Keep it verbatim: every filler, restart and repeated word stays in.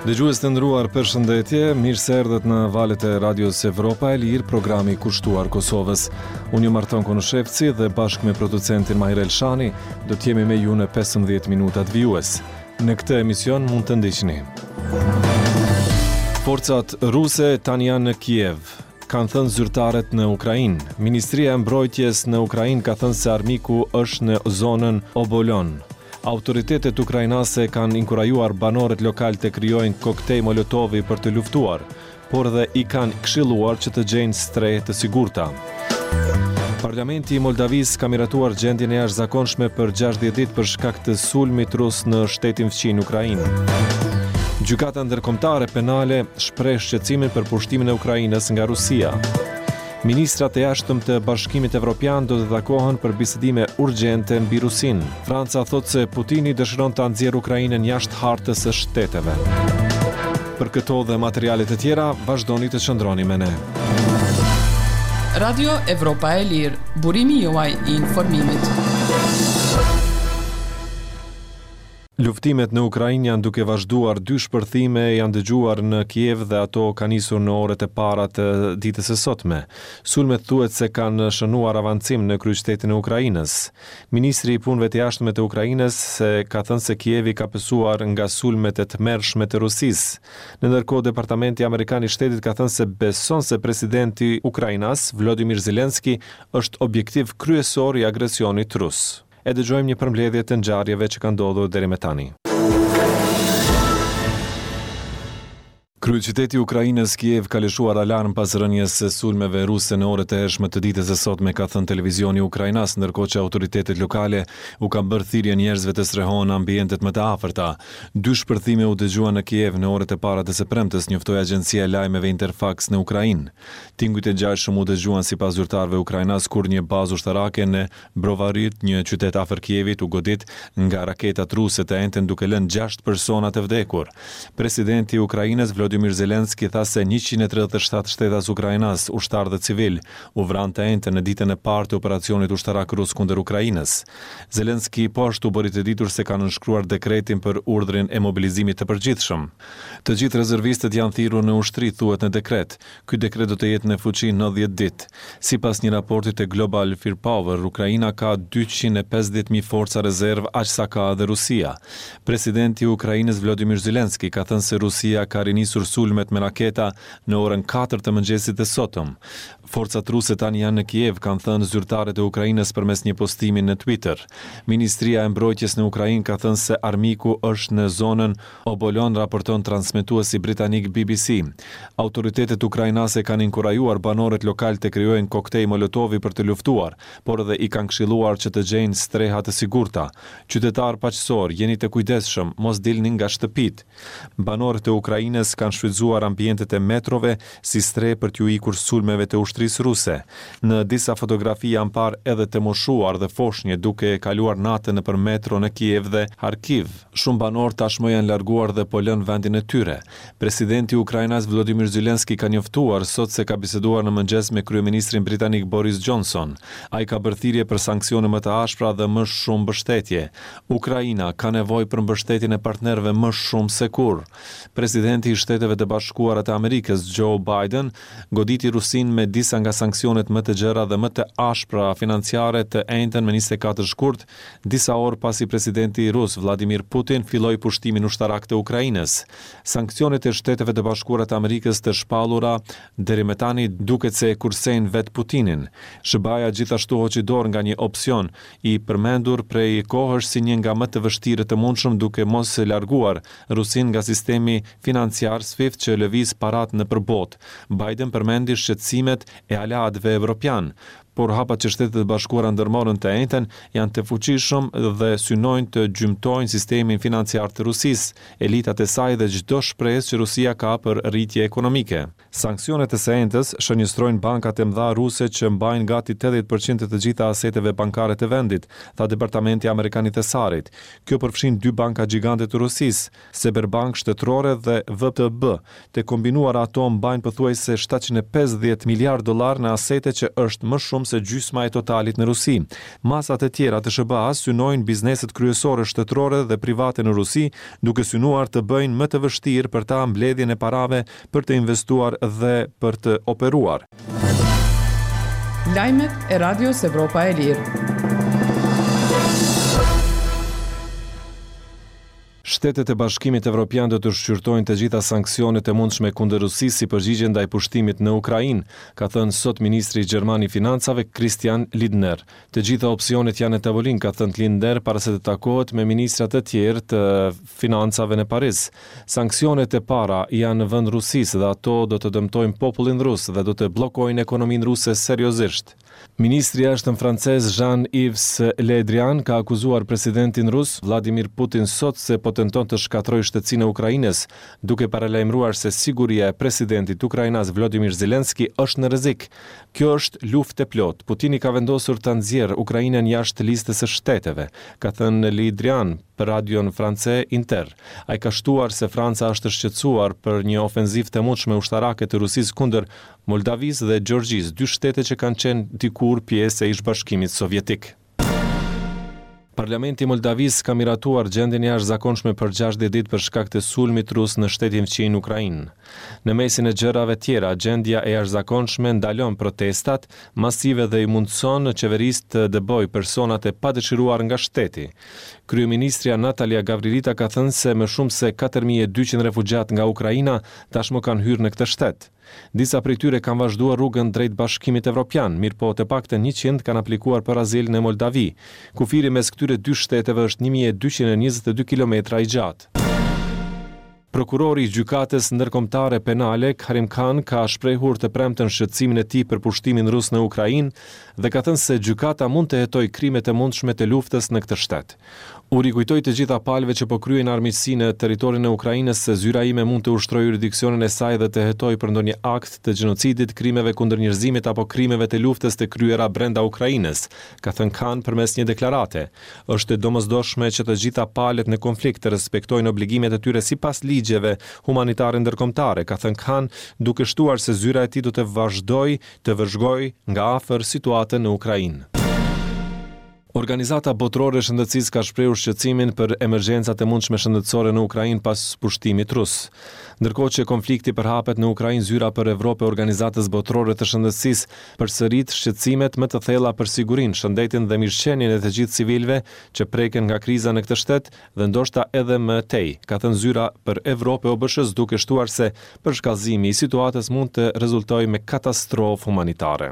Dëgjues të nderuar, përshëndetje, mirë se erdhët në valët e Radios Evropa e Lirë, programi kushtuar Kosovës. Unë jam Marton Konushevci dhe bashkë me producentin Mahir Elshani do të jemi me ju në pesëmbëdhjetë minutat vijues. Në këtë emision mund të ndiqni. Forcat ruse tani janë në Kiev, kanë thënë zyrtarët në Ukrainë. Ministria e Mbrojtjes në Ukrainë ka thënë se armiku është në zonën Obolon. Autoritetet ukrainase kanë inkurajuar banorët lokal të krijojnë koktej molotovi për të luftuar, por dhe i kanë këshilluar që të gjejnë strehë të sigurta. Parlamenti i Moldavisë ka miratuar gjendjen e jashtëzakonshme për gjashtëdhjetë ditë për shkak të sulmit rus në shtetin fqinj Ukrainë. Gjykata Ndërkombëtare Penale shpreh shqetësimin për pushtimin e Ukrainës nga Rusia. Ministrat e jashtëm të Bashkimit Evropian do të takohen për bisedime urgjente mbi Rusinë. Franca thotë se Putini dëshiron ta nxjerrë Ukrainën jashtë hartës së shteteve. Për këto dhe materiale të tjera, vazhdoni të qëndroni me ne. Radio Evropa e Lirë, burimi juaj i informimit. Luftimet në Ukrainë janë duke vazhduar, dy shpërthime janë dëgjuar në Kiev dhe ato kanë nisur në orët e para të ditës së sotme. Sulmet thuhet se kanë shënuar avancim në kryeqytetin e Ukrainës. Ministri i Punëve të Jashtme të Ukrainës se ka thënë se Kievi ka pësuar nga sulmet e tmerrshme të Rusisë. Në ndërkohë, Departamenti Amerikan i Shtetit ka thënë se beson se presidenti ukrainas Vladimir Zelensky është objektiv kryesor i agresionit rus. E dëgjojmë një përmbledhje të ngjarjeve që kanë ndodhur deri më tani. Kryeqyteti i Ukrainës Kiev ka lëshuar alarm pas rënies së sulmeve ruse në orët e hershme të ditës së sotme, ka thënë televizioni ukrainas, ndërkohë që autoritetet lokale u kanë bërë thirrje njerëzve të strehohen në ambientet më të afërta. Dy shpërthime u dëgjuan në Kiev në orët e para të së premtes, njoftoi agjencia e lajmeve Interfax në Ukrainë. Tingujt e ngjashëm u dëgjuan sipas zyrtarëve ukrainas kur një bazë ushtarake në Brovarit, një qytet afër Kievit, u godit nga raketat ruse të enjten duke lënë gjashtë persona të vdekur. Presidenti i Ukrainës Vladimir Zelensky tha se njëqind e tridhjetë e shtatë shtetas ukrainas, ushtarë dhe civil, u vranë të enjten në ditën e parë të operacionit ushtarak rus kundër Ukrainës. Zelensky po ashtu bëri të ditur se ka nënshkruar dekretin për urdhrin e mobilizimit të përgjithshëm. Të gjithë rezervistët janë thirrur në ushtri, thuhet në dekret. Ky dekret do të jetë në fuqi nëntëdhjetë ditë. Sipas një raporti të Global Firepower, Ukraina ka dyqind e pesëdhjetë mijë forca rezervë, aq sa ka edhe Rusia. Presidenti i Ukrainës Vladimir Zelensky ka thënë se Rusia ka rinisur sulmet me raketa në orën katër të mëngjesit të sotëm. Forcat ruse tani janë në Kiev, kanë thënë zyrtarët e Ukrainës përmes një postimi në Twitter. Ministria e Mbrojtjes në Ukrainë ka thënë se armiku është në zonën Obolon, raporton transmetuesi britanik B B C. Autoritetet ukrainase kanë inkurajuar banorët lokal të krijojnë koktej molotovi për të luftuar, por edhe i kanë këshilluar që të gjejnë streha të sigurta. Qytetar paqësor, jeni të kujdesshëm, mos dilni nga shtëpitë. Banorët e Ukrainës kanë shfrytzuar ambientet e metrove si strehë për t'ju ikur sulmeve të ushtrisë ruse. Në disa fotografi janë parë edhe të moshuar dhe foshnje duke kaluar natën nëpër metro në Kiev dhe Kharkiv. Shumë banorë tashmë janë larguar dhe po lënë vendin e tyre. Presidenti ukrainas Volodymyr Zelensky ka njoftuar sot se ka biseduar në mëngjes me kryeministrin britanik Boris Johnson. Ai ka bërë thirrje për sanksione më të ashpra dhe më shumë mbështetje. Ukraina ka nevojë për mbështetjen e partnerëve më shumë se kurrë. Presidenti i Shteteve të Bashkuara të Amerikës Joe Biden goditi Rusinë me disa nga sanksionet më të gjera dhe më të ashpra financiare të enjten më njëzet e katër shkurt, disa orë pasi presidenti rus Vladimir Putin filloi pushtimin ushtarak të Ukrainës. Sanksionet e Shteteve të Bashkuara të Amerikës të shpallura deri më tani duket se e kursejnë vetë Putinin. S H B A-ja gjithashtu hoqi dorë nga një opsion i përmendur prej kohësh si një nga më të vështirët të mundshëm, duke mos larguar Rusinë nga sistemi financiar SWIFT që lëviz parat nëpër botë. Biden përmendi shqetësimet e aleatëve evropian, por hapat që Shtetet e Bashkuara ndërmorën të enjten janë të fuqishëm dhe synojnë të gjymtojnë sistemin financiar të Rusisë, elitat e saj dhe çdo shpresë që Rusia ka për rritje ekonomike. Sanksionet e së enjtes shënjestrojnë bankat e mëdha ruse që mbajnë gati tetëdhjetë përqind të të gjitha aseteve bankare të vendit, tha Departamenti Amerikan i Thesarit. Kjo përfshin dy banka gjigante të Rusisë, Sberbank shtetërore dhe V T B. Të kombinuara ato mbajnë pothuajse shtatëqind e pesëdhjetë miliardë dollar në asete që është më shumë shumë se gjysma e totalit në Rusi. Masat e tjera të S H B A-s synojnë bizneset kryesore shtetërore dhe private në Rusi, duke synuar të bëjnë më të vështirë për ta mbledhjen e parave për të investuar dhe për të operuar. Lajmet e Radios Evropa e Lirë. Shtetet e Bashkimit Evropian do të shqyrtojnë të gjitha sanksionet e mundshme kundër Rusisë si përgjigje ndaj pushtimit në Ukrainë, ka thënë sot ministri gjerman i Financave Christian Lindner. Të gjitha opsionet janë në tavolinë, ka thënë Lindner para se të takohet me ministrat e tjerë të financave në Paris. Sanksionet e para janë vënë Rusisë dhe ato do të dëmtojnë popullin rus dhe do të bllokojnë ekonominë ruse seriozisht. Ministri i Jashtëm francez Jean-Yves Le Drian ka akuzuar presidentin rus Vladimir Putin sot se po tenton të shkatërrojë shtetësinë e Ukrainës, duke paralajmëruar se siguria e presidentit ukrainas Vladimir Zelensky është në rrezik. Kjo është luftë e plotë. Putini ka vendosur ta nxjerrë Ukrainën jashtë listës së shteteve, ka thënë Le Drian për radion France Inter. Ai ka shtuar se Franca është shqetësuar për një ofenzivë të mundshme ushtarake të Rusisë kundër Moldavisë dhe Gjeorgjisë, dy shtete që kanë qenë dikur pjesë e ish Bashkimit Sovjetik. Parlamenti i Moldavisë ka miratuar gjendjen e jashtëzakonshme për gjashtëdhjetë ditë për shkak të sulmit rus në shtetin fqinj Ukrainë. Në mesin e gjërave tjera, gjendja e jashtëzakonshme ndalon protestat masive dhe i mundëson qeverisë të dëbojë personat e padëshiruar nga shteti. Kryeministrja Natalia Gavrilita ka thënë se më shumë se katër mijë e dyqind refugjat nga Ukraina tashmë kanë hyrë në këtë shtet. Disa prej tyre kanë vazhduar rrugën drejt Bashkimit Evropian, mirëpo të paktën njëqind kanë aplikuar për azil në Moldavi. Kufiri mes këtyre dy shteteve është një mijë e dyqind e njëzet e dy kilometra i gjatë. Prokurori i Gjykatës Ndërkombëtare Penale Karim Khan ka shprehur të premten shqetësimin e tij për pushtimin rus në Ukrainë dhe ka thënë se gjykata mund të hetojë krimet e mundshme të luftës në këtë shtet. U rikujtoj të gjitha palëve që po kryejnë armiqësi në territorin e Ukrainës se zyra ime mund të ushtrojë juridiksionin e saj dhe të hetojë për ndonjë akt të gjenocidit, krimeve kundër njerëzimit apo krimeve të luftës të kryera brenda Ukrainës, ka thënë Khan përmes një deklarate. Është e domosdoshme që të gjitha palët në konflikt të respektojnë obligimet e tyre sipas ligjeve humanitare ndërkombëtare, ka thënë Khan, duke shtuar se zyra e tij do të vazhdojë të vëzhgojë nga afër situatën në Ukrainë. Organizata Botërore e Shëndetësisë ka shprehur shqetësimin për emergjencat e mundshme shëndetësore në Ukrainë pas pushtimit rus. Ndërkohë që konflikti përhapet në Ukrainë, zyra për Evropë e Organizatës Botërore të Shëndetësisë përsërit shqetësimet më të thella për sigurinë, shëndetin dhe mirëqenien e të gjithë civilëve që preken nga kriza në këtë shtet dhe ndoshta edhe më tej, ka thënë zyra për Evropë e O B Sh-së, duke shtuar se përshkallëzimi i situatës mund të rezultojë me katastrofë humanitare.